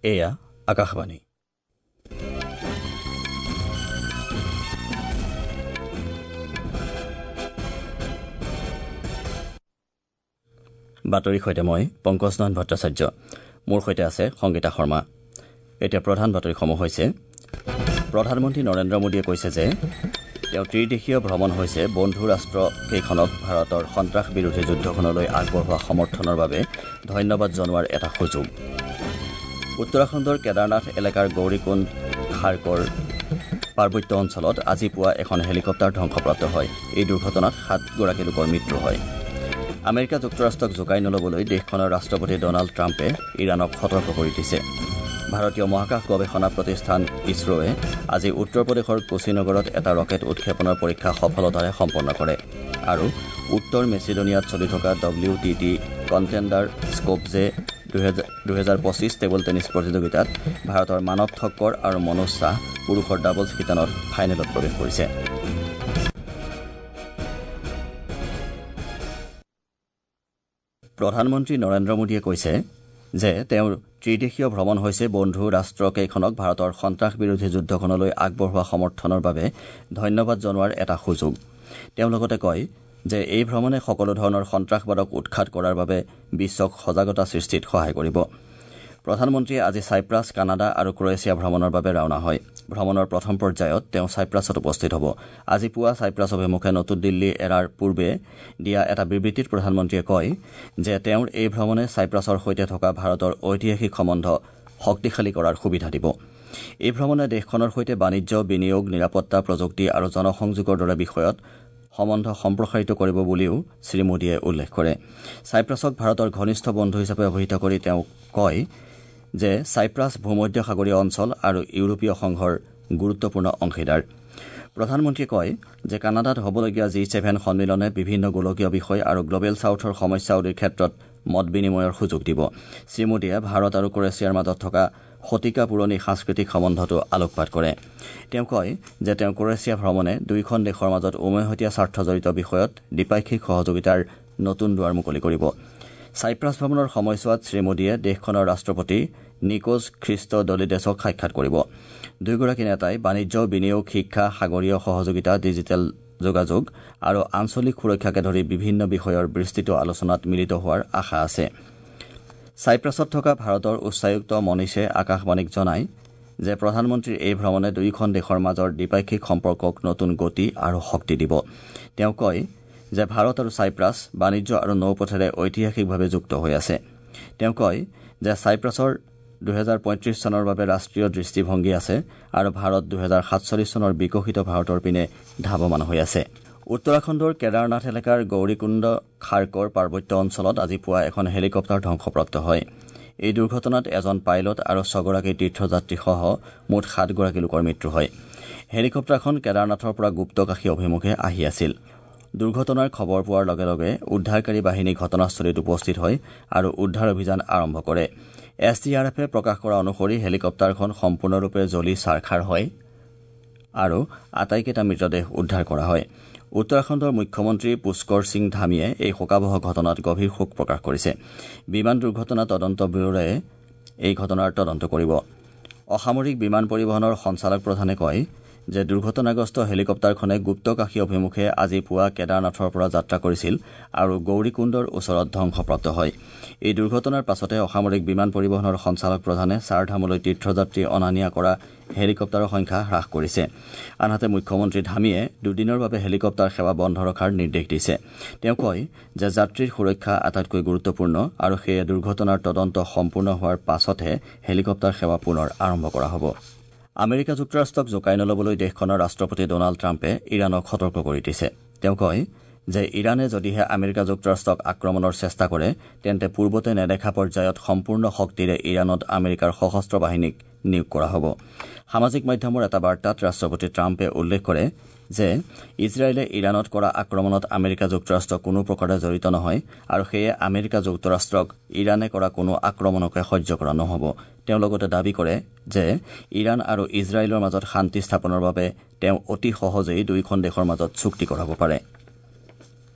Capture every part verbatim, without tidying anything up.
এয়া আকাশবাণী। বাতৰিৰ সৈতে মই পংকজ নাথ ভট্টাচাৰ্য, মোৰ সৈতে আছে সংগীতা শৰ্মা। এতিয়া প্ৰধান বাতৰিসমূহ হৈছে: প্ৰধানমন্ত্ৰী নৰেন্দ্ৰ মোদীয়ে কৈছে যে তেওঁৰ ত্ৰিদেশীয় ভ্ৰমণ হৈছে বন্ধু ৰাষ্ট্ৰকেইখনক ভাৰতৰ সন্ত্ৰাস বিৰোধী যুদ্ধখনলৈ আগবঢ়োৱা সমৰ্থনৰ বাবে ধন্যবাদ জনোৱাৰ এটা সুযোগ। উত্তৰাখণ্ডৰ কেদাৰনাথ এলেকাৰ গৌৰীকুণ্ড খাৰ্কৰ পাৰ্বত্য অঞ্চলত আজি পুৱা এখন হেলিকপ্টাৰ ধ্বংসপ্ৰাপ্ত হয়। এই দুৰ্ঘটনাত সাতগৰাকী লোকৰ মৃত্যু হয়। আমেৰিকা যুক্তৰাষ্ট্ৰক জোকাই নল'বলৈ দেশখনৰ ৰাষ্ট্ৰপতি ডনাল্ড ট্ৰাম্পে ইৰাণক সতৰ্ক কৰি দিছে। ভাৰতীয় মহাকাশ গৱেষণা প্ৰতিষ্ঠান ইছৰোৱে আজি উত্তৰ প্ৰদেশৰ কোচিনগৰত এটা ৰকেট উৎক্ষেপণৰ পৰীক্ষা সফলতাৰে সম্পন্ন কৰে। আৰু উত্তৰ মেচিডোনিয়াত চলি থকা ডব্লিউ টি টি কণ্টেণ্ডাৰ স্কোপজে দুহেজাৰ পঁচিছ টেবুল টেনিছ প্ৰতিযোগিতাত ভাৰতৰ মানৱ ঠক্কৰ আৰু মনোজ শ্বাহ পুৰুষৰ ডাবলছ শিতানত ফাইনেলত প্ৰৱেশ কৰিছে। প্ৰধানমন্ত্ৰী নৰেন্দ্ৰ মোদীয়ে কৈছে যে তেওঁৰ ত্ৰিদেশীয় ভ্ৰমণ হৈছে বন্ধু ৰাষ্ট্ৰকেইখনক ভাৰতৰ সন্ত্ৰাস বিৰোধী যুদ্ধখনলৈ আগবঢ়োৱা সমৰ্থনৰ বাবে ধন্যবাদ জনোৱাৰ এটা সুযোগ। তেওঁ লগতে কয় যে এই ভ্ৰমণে সকলো ধৰণৰ সন্ত্ৰাসবাদক উৎখাত কৰাৰ বাবে বিশ্বক সজাগতা সৃষ্টিত সহায় কৰিব। প্ৰধানমন্ত্ৰীয়ে আজি চাইপ্ৰাছ, কানাডা আৰু ক্ৰ'ৱেছিয়া ভ্ৰমণৰ বাবে ৰাওনা হয়। ভ্ৰমণৰ প্ৰথম পৰ্যায়ত তেওঁ চাইপ্ৰাছত উপস্থিত হ'ব। আজি পুৱা চাইপ্ৰাছ অভিমুখে নতুন দিল্লী এৰাৰ পূৰ্বে দিয়া এটা বিবৃতিত প্ৰধানমন্ত্ৰীয়ে কয় যে তেওঁৰ এই ভ্ৰমণে চাইপ্ৰাছৰ সৈতে থকা ভাৰতৰ ঐতিহাসিক সম্বন্ধ শক্তিশালী কৰাৰ সুবিধা দিব। এই ভ্ৰমণে দেশখনৰ সৈতে বাণিজ্য, বিনিয়োগ, নিৰাপত্তা, প্ৰযুক্তি আৰু জনসংযোগৰ দৰে বিষয়ত সম্বন্ধ সম্প্ৰসাৰিত কৰিব বুলিও শ্ৰীমোদীয়ে উল্লেখ কৰে। চাইপ্ৰাছক ভাৰতৰ ঘনিষ্ঠ বন্ধু হিচাপে অভিহিত কৰি তেওঁ কয় যে চাইপ্ৰাছ ভূমধ্য সাগৰীয় অঞ্চল আৰু ইউৰোপীয় সংঘৰ গুৰুত্বপূৰ্ণ অংশীদাৰ। প্ৰধানমন্ত্ৰীয়ে কয় যে কানাডাত হ'বলগীয়া জি ছেভেন সন্মিলনে বিভিন্ন গোলকীয় বিষয় আৰু গ্লবেল ছাউথৰ সমস্যাৱলীৰ ক্ষেত্ৰত মত বিনিময়ৰ সুযোগ দিব। শ্ৰীমোদীয়ে ভাৰত আৰু ক্ৰ'ৱেছিয়াৰ মাজত থকা শতিকা পুৰণি সাংস্কৃতিক সম্বন্ধটো আলোকপাত কৰে। তেওঁ কয় যে তেওঁ ক্ৰ'ৱেছিয়া ভ্ৰমণে দুয়োখন দেশৰ মাজত উমৈহতীয়া স্বাৰ্থজড়িত বিষয়ত দ্বিপাক্ষিক সহযোগিতাৰ নতুন দুৱাৰ মুকলি কৰিব। চাইপ্ৰাছ ভ্ৰমণৰ সময়ছোৱাত শ্ৰীমোদীয়ে দেশখনৰ ৰাষ্ট্ৰপতি নিকোজ খ্ৰীষ্টডলিডেছক সাক্ষাৎ কৰিব। দুয়োগৰাকী নেতাই বাণিজ্য, বিনিয়োগ, শিক্ষা, সাগৰীয় সহযোগিতা, ডিজিটেল যোগাযোগ আৰু আঞ্চলিক সুৰক্ষাকে ধৰি বিভিন্ন বিষয়ৰ বিস্তৃত আলোচনাত মিলিত হোৱাৰ আশা আছে। চাইপ্ৰাছত থকা ভাৰতৰ উচ্চায়ুক্ত মনীষে আকাশবাণীক জনায় যে প্ৰধানমন্ত্ৰীৰ এই ভ্ৰমণে দুয়োখন দেশৰ মাজৰ দ্বিপাক্ষিক সম্পৰ্কক নতুন গতি আৰু শক্তি দিব। তেওঁ কয় যে ভাৰত আৰু চাইপ্ৰাছ বাণিজ্য আৰু নৌপথেৰে ঐতিহাসিকভাৱে যুক্ত হৈ আছে। তেওঁ কয় যে চাইপ্ৰাছৰ দুহেজাৰ পঁয়ত্ৰিছ চনৰ বাবে ৰাষ্ট্ৰীয় দৃষ্টিভংগী আছে আৰু ভাৰত দুহেজাৰ সাতচল্লিছ চনৰ বিকশিত ভাৰতৰ পিনে ধাৱমান হৈ আছে। উত্তৰাখণ্ডৰ কেদাৰনাথ এলেকাৰ গৌৰীকুণ্ড খাৰ্কৰ পাৰ্বত্য অঞ্চলত আজি পুৱা এখন হেলিকপ্টাৰ ধ্বংসপ্ৰাপ্ত হয়। এই দুৰ্ঘটনাত এজন পাইলট আৰু ছগৰাকী তীৰ্থযাত্ৰীসহ মুঠ সাতগৰাকী লোকৰ মৃত্যু হয়। হেলিকপ্টাৰখন কেদাৰনাথৰ পৰা গুপ্তকাশী অভিমুখে আহি আছিল। দুৰ্ঘটনাৰ খবৰ পোৱাৰ লগে লগে উদ্ধাৰকাৰী বাহিনী ঘটনাস্থলীত উপস্থিত হয় আৰু উদ্ধাৰ অভিযান আৰম্ভ কৰে। এছ ডি আৰ এফে প্ৰকাশ কৰা অনুসৰি হেলিকপ্টাৰখন সম্পূৰ্ণৰূপে জ্বলি ছাৰখাৰ হয় আৰু আটাইকেইটা মৃতদেহ উদ্ধাৰ কৰা হয়। উত্তৰাখণ্ডৰ মুখ্যমন্ত্ৰী পুষ্কৰ সিং ধামীয়ে এই শোকাৱহ ঘটনাত গভীৰ শোক প্ৰকাশ কৰিছে। বিমান দুৰ্ঘটনা তদন্ত ব্যুৰোৱে এই ঘটনাৰ তদন্ত কৰিব। অসামৰিক বিমান পৰিবহণৰ সঞ্চালক প্ৰধানে কয় যে দুৰ্ঘটনাগ্ৰস্ত হেলিকপ্টাৰখনে গুপ্তকাশী অভিমুখে আজি পুৱা কেদাৰনাথৰ পৰা যাত্ৰা কৰিছিল আৰু গৌৰীকুণ্ডৰ ওচৰত ধ্বংসপ্ৰাপ্ত হয়। এই দুৰ্ঘটনাৰ পাছতে অসামৰিক বিমান পৰিবহণৰ সঞ্চালক প্ৰধানে চাৰধামলৈ তীৰ্থযাত্ৰী অনা নিয়া কৰা হেলিকপ্টাৰৰ সংখ্যা হ্ৰাস কৰিছে। আনহাতে মুখ্যমন্ত্ৰী ধামীয়ে দুদিনৰ বাবে হেলিকপ্টাৰ সেৱা বন্ধ ৰখাৰ নিৰ্দেশ দিছে। তেওঁ কয় যে যাত্ৰীৰ সুৰক্ষা আটাইতকৈ গুৰুত্বপূৰ্ণ আৰু সেয়ে দুৰ্ঘটনাৰ তদন্ত সম্পূৰ্ণ হোৱাৰ পাছতহে হেলিকপ্টাৰ সেৱা পুনৰ আৰম্ভ কৰা হ'ব। আমেৰিকা যুক্তৰাষ্ট্ৰক জোকাই নল'বলৈ দেশখনৰ ৰাষ্ট্ৰপতি ডনাল্ড ট্ৰাম্পে ইৰাণক সতৰ্ক কৰি দিছে। তেওঁ কয় যে ইৰাণে যদিহে আমেৰিকা যুক্তৰাষ্ট্ৰক আক্ৰমণৰ চেষ্টা কৰে তেন্তে পূৰ্বতে নেদেখা পৰ্যায়ত সম্পূৰ্ণ শক্তিৰে ইৰাণত আমেৰিকাৰ সশস্ত্ৰ বাহিনীক নিয়োগ কৰা হ'ব। সামাজিক মাধ্যমৰ এটা বাৰ্তাত ৰাষ্ট্ৰপতি ট্ৰাম্পে উল্লেখ কৰে যে ইজৰাইলে ইৰাণত কৰা আক্ৰমণত আমেৰিকা যুক্তৰাষ্ট্ৰ কোনো প্ৰকাৰে জড়িত নহয় আৰু সেয়ে আমেৰিকা যুক্তৰাষ্ট্ৰক ইৰাণে কৰা কোনো আক্ৰমণকে সহ্য কৰা নহ'ব। তেওঁ লগতে দাবী কৰে যে ইৰাণ আৰু ইজৰাইলৰ মাজত শান্তি স্থাপনৰ বাবে তেওঁ অতি সহজেই দুয়োখন দেশৰ মাজত চুক্তি কৰাব পাৰে।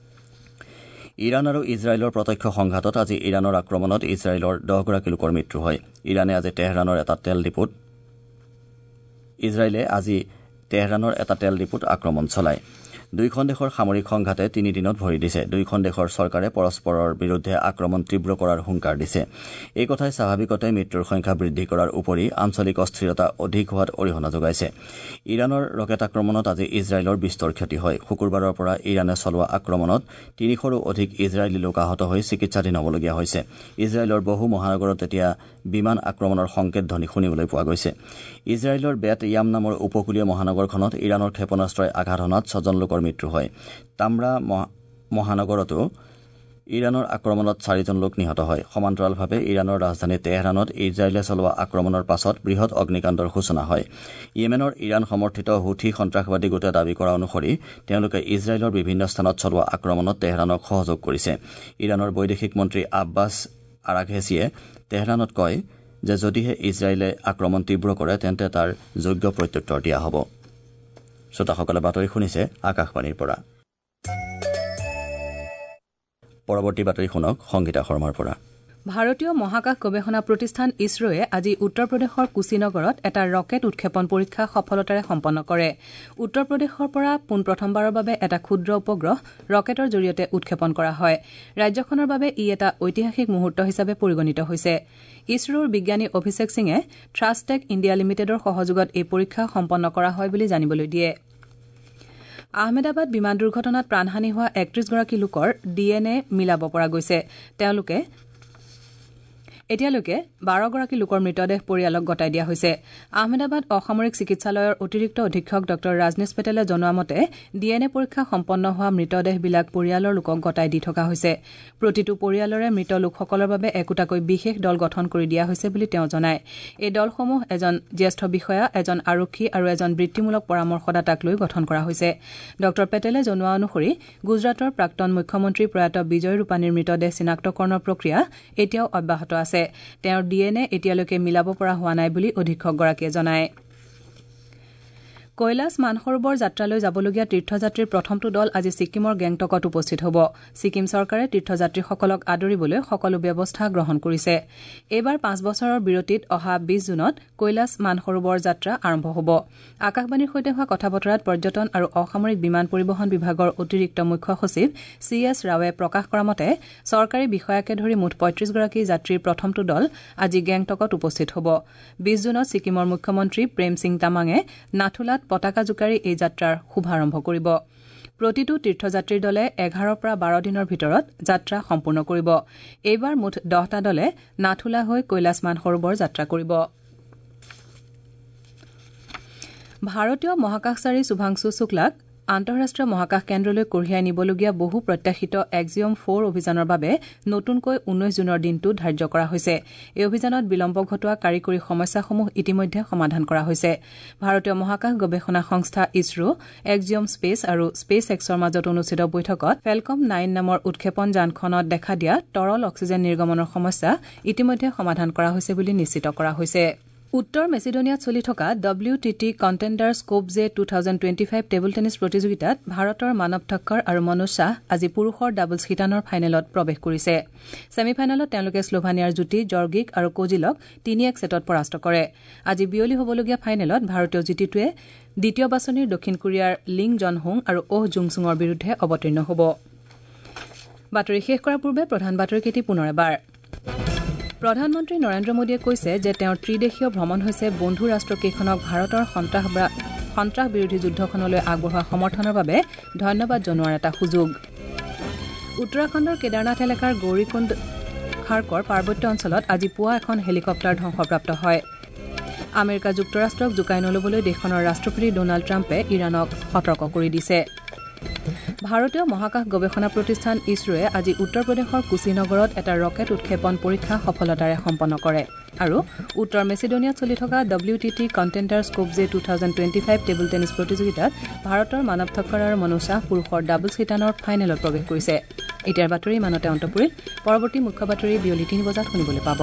ইৰাণ আৰু ইজৰাইলৰ প্ৰত্যক্ষ সংঘাতত আজি ইৰাণৰ আক্ৰমণত ইজৰাইলৰ দহগৰাকী লোকৰ মৃত্যু হয়। ইৰাণে আজি তেহৰাণৰ এটা তেল ডিপুত ইজৰাইলে আজি তেহৰাণৰ এটা তেল ডিপুত আক্ৰমণ চলায়। দুয়োখন দেশৰ সামৰিক সংঘাতে তিনিদিনত ভৰি দিছে। দুয়োখন দেশৰ চৰকাৰে পৰস্পৰৰ বিৰুদ্ধে আক্ৰমণ তীব্ৰ কৰাৰ হুংকাৰ দিছে। এই কথাই স্বাভাৱিকতে মৃত্যুৰ সংখ্যা বৃদ্ধি কৰাৰ উপৰি আঞ্চলিক অস্থিৰতা অধিক হোৱাত অৰিহণা যোগাইছে। ইৰাণৰ ৰকেট আক্ৰমণত আজি ইজৰাইলৰ বিস্তৰ ক্ষতি হয়। শুকুৰবাৰৰ পৰা ইৰাণে চলোৱা আক্ৰমণত তিনিশৰো অধিক ইজৰাইলী লোক আহত হৈ চিকিৎসাধীন হ'বলগীয়া হৈছে। ইজৰাইলৰ বহু মহানগৰত এতিয়া বিমান আক্ৰমণৰ সংকেত ধ্বনি শুনিবলৈ পোৱা গৈছে। ইজৰাইলৰ বেট য়াম নামৰ উপকূলীয় মহানগৰখনত ইৰাণৰ ক্ষেপণাস্ত্ৰই আঘাত হনাত ছজন লোকৰ মৃত্যু হয়। তামৰা মহানগৰতো ইৰাণৰ আক্ৰমণত চাৰিজন লোক নিহত হয়। সমান্তৰালভাৱে ইৰাণৰ ৰাজধানী তেহৰাণত ইজৰাইলে চলোৱা আক্ৰমণৰ পাছত বৃহৎ অগ্নিকাণ্ডৰ সূচনা হয়। য়েমেনৰ ইৰাণ সমৰ্থিত হুথি সন্ত্ৰাসবাদী গোটে দাবী কৰা অনুসৰি তেওঁলোকে ইজৰাইলৰ বিভিন্ন স্থানত চলোৱা আক্ৰমণত তেহৰাণক সহযোগ কৰিছে। ইৰাণৰ বৈদেশিক মন্ত্ৰী আব্বাছ আৰাঘেছিয়ে তেহৰাণত কয় যে যদিহে ইজৰাইলে আক্ৰমণ তীব্ৰ কৰে তেন্তে তাৰ যোগ্য প্ৰত্যুত্তৰ দিয়া হ'ব। শ্ৰোতাসকলে বাতৰি শুনিছে আকাশবাণীৰ পৰা। পৰৱৰ্তী বাতৰি শুনক সংগীতা শৰ্মাৰ পৰা। ভাৰতীয় মহাকাশ গৱেষণা প্ৰতিষ্ঠান ইছৰোৱে আজি উত্তৰ প্ৰদেশৰ কুশীনগৰত এটা ৰকেট উৎক্ষেপণ পৰীক্ষা সফলতাৰে সম্পন্ন কৰে। উত্তৰ প্ৰদেশৰ পৰা পোনপ্ৰথমবাৰৰ বাবে এটা ক্ষুদ্ৰ উপগ্ৰহ ৰকেটৰ জৰিয়তে উৎক্ষেপণ কৰা হয়। ৰাজ্যখনৰ বাবে ই এটা ঐতিহাসিক মুহূৰ্ত হিচাপে পৰিগণিত হৈছে। ইছৰোৰ বিজ্ঞানী অভিষেক সিঙে থ্ৰাছটেক ইণ্ডিয়া লিমিটেডৰ সহযোগত এই পৰীক্ষা সম্পন্ন কৰা হয় বুলি জানিবলৈ দিয়ে। আহমেদাবাদ বিমান দুৰ্ঘটনাত প্ৰাণহানি হোৱা একত্ৰিশগৰাকী লোকৰ ডি এন এ মিলাব পৰা গৈছে। তেওঁলোকে এতিয়ালৈকে বাৰগৰাকী লোকৰ মৃতদেহ পৰিয়ালক গতাই দিয়া হৈছে। আহমেদাবাদ অসামৰিক চিকিৎসালয়ৰ অতিৰিক্ত অধীক্ষক ডঃ ৰাজনীশ পেটেলে জনোৱা মতে ডি এন এ পৰীক্ষা সম্পন্ন হোৱা মৃতদেহবিলাক পৰিয়ালৰ লোকক গতাই দি থকা হৈছে। প্ৰতিটো পৰিয়ালৰে মৃত লোকসকলৰ বাবে একোটাকৈ বিশেষ দল গঠন কৰি দিয়া হৈছে বুলি তেওঁ জনায়। এই দলসমূহ এজন জ্যেষ্ঠ বিষয়া, এজন আৰক্ষী আৰু এজন বৃত্তিমূলক পৰামৰ্শদাতাক লৈ গঠন কৰা হৈছে। ডঃ পেটেলে জনোৱা অনুসৰি গুজৰাটৰ প্ৰাক্তন মুখ্যমন্ত্ৰী প্ৰয়াত বিজয় ৰূপানীৰ মৃতদেহ চিনাক্তকৰণৰ প্ৰক্ৰিয়া এতিয়াও অব্যাহত আছে। তেওঁৰ ডি এন এ এতিয়ালৈকে মিলাব পৰা হোৱা নাই বুলি অধীক্ষকগৰাকীয়ে জনায়। কৈলাশ মানসৰোবৰ যাত্ৰালৈ যাবলগীয়া তীৰ্থযাত্ৰীৰ প্ৰথমটো দল আজি ছিকিমৰ গেংটকত উপস্থিত হ'ব। ছিকিম চৰকাৰে তীৰ্থযাত্ৰীসকলক আদৰিবলৈ সকলো ব্যৱস্থা গ্ৰহণ কৰিছে। এইবাৰ পাঁচ বছৰৰ বিৰতিত অহা বিশ জুনত কৈলাশ মানসৰোবৰ যাত্ৰা আৰম্ভ হ'ব। আকাশবাণীৰ সৈতে হোৱা কথা বতৰাত পৰ্যটন আৰু অসামৰিক বিমান পৰিবহণ বিভাগৰ অতিৰিক্ত মুখ্য সচিব চি এছ ৰাৱে প্ৰকাশ কৰা মতে চৰকাৰী বিষয়াকে ধৰি মুঠ পঁয়ত্ৰিশগৰাকী যাত্ৰীৰ প্ৰথমটো দল আজি গেংটকত উপস্থিত হ'ব। বিশ জুনত ছিকিমৰ মুখ্যমন্ত্ৰী প্ৰেম সিং তামাঙে নাথুলাত পতাকা জোকাৰি এই যাত্ৰাৰ শুভাৰম্ভ কৰিব। প্ৰতিটো তীৰ্থযাত্ৰীৰ দলে এঘাৰৰ পৰা বাৰ দিনৰ ভিতৰত যাত্ৰা সম্পূৰ্ণ কৰিব। এইবাৰ মুঠ দহটা দলে নাথুলা হৈ কৈলাশ মানসৰোবৰ যাত্ৰা কৰিব। ভাৰতীয় মহাকাশচাৰী শুভাংশু শুক্লাক আন্তঃৰাষ্ট্ৰীয় মহাকাশ কেন্দ্ৰলৈ কঢ়িয়াই নিবলগীয়া বহু প্ৰত্যাশিত এক্সিঅম ফ'ৰ অভিযানৰ বাবে নতুনকৈ ঊনৈশ জুনৰ দিনটো ধাৰ্য কৰা হৈছে। এই অভিযানত বিলম্ব ঘটোৱা কাৰিকৰী সমস্যাসমূহ ইতিমধ্যে সমাধান কৰা হৈছে। ভাৰতীয় মহাকাশ গৱেষণা সংস্থা ইছৰো, এক্সিঅম স্পেচ আৰু স্পেচ এক্সৰ মাজত অনুষ্ঠিত বৈঠকত ফেলকম নাইন নামৰ উৎক্ষেপণ যানখনত দেখা দিয়া তৰল অক্সিজেন নিৰ্গমনৰ সমস্যা ইতিমধ্যে সমাধান কৰা হৈছে বুলি নিশ্চিত কৰা হৈছে। উত্তৰ মেচিডোনিয়াত চলি থকা W T T contender Skopje two thousand twenty five table tennis প্ৰতিযোগিতাত ভাৰতৰ মানৱ ঠক্কৰ আৰু মনোজ শ্বাহ আজি পুৰুষৰ ডাবলছ শিতানৰ ফাইনেলত প্ৰৱেশ কৰিছে। ছেমি ফাইনেলত তেওঁলোকে শ্লোভানিয়াৰ যুটী জৰ্গিক আৰু কোজিলক তিনি এক ছেটত পৰাস্ত কৰে। আজি বিয়লি হ'বলগীয়া ফাইনেলত ভাৰতীয় যুটীটোৱে দ্বিতীয় বাছনিৰ দক্ষিণ কোৰিয়াৰ লিং জন হুং আৰু অহ জুং চুঙৰ বিৰুদ্ধে অৱতীৰ্ণ হ'ব। বাতৰি শেষ কৰাৰ পূৰ্বে প্ৰধান বাতৰিকেইটি পুনৰ এবাৰ। প্ৰধানমন্ত্ৰী নৰেন্দ্ৰ মোদীয়ে কৈছে যে তেওঁৰ ত্ৰিদেশীয় ভ্ৰমণ হৈছে বন্ধু ৰাষ্ট্ৰকেইখনক ভাৰতৰ সন্ত্ৰাস বিৰোধী যুদ্ধখনলৈ আগবঢ়োৱা সমৰ্থনৰ বাবে ধন্যবাদ জনোৱাৰ এটা সুযোগ। উত্তৰাখণ্ডৰ কেদাৰনাথ এলেকাৰ গৌৰীকুণ্ড খাৰ্কৰ পাৰ্বত্য অঞ্চলত আজি পুৱা এখন হেলিকপ্টাৰ ধ্বংসপ্ৰাপ্ত হয়। আমেৰিকা যুক্তৰাষ্ট্ৰক জোকাই নলবলৈ দেশখনৰ ৰাষ্ট্ৰপতি ডনাল্ড ট্ৰাম্পে ইৰাণক সতৰ্ক কৰি দিছে। ভাৰতীয় মহাকাশ গৱেষণা প্ৰতিষ্ঠান ইছৰোৱে আজি উত্তৰ প্ৰদেশৰ কুশীনগৰত এটা ৰকেট উৎক্ষেপণ পৰীক্ষা সফলতাৰে সম্পন্ন কৰে। আৰু উত্তৰ মেচিডোনিয়াত চলি থকা W T T contender Skopje two thousand twenty five table tennis প্ৰতিযোগিতাত ভাৰতৰ মানৱ ঠক্কৰ আৰু মনোজ শ্বাহ পুৰুষৰ ডাবলছ শিতানৰ ফাইনেলত প্ৰৱেশ কৰিছে। এতিয়াৰ বাতৰি ইমানতে অন্ত পৰিল। পৰৱৰ্তী মুখ্য বাতৰি বিয়লি তিনি বজাত শুনিবলৈ পাব।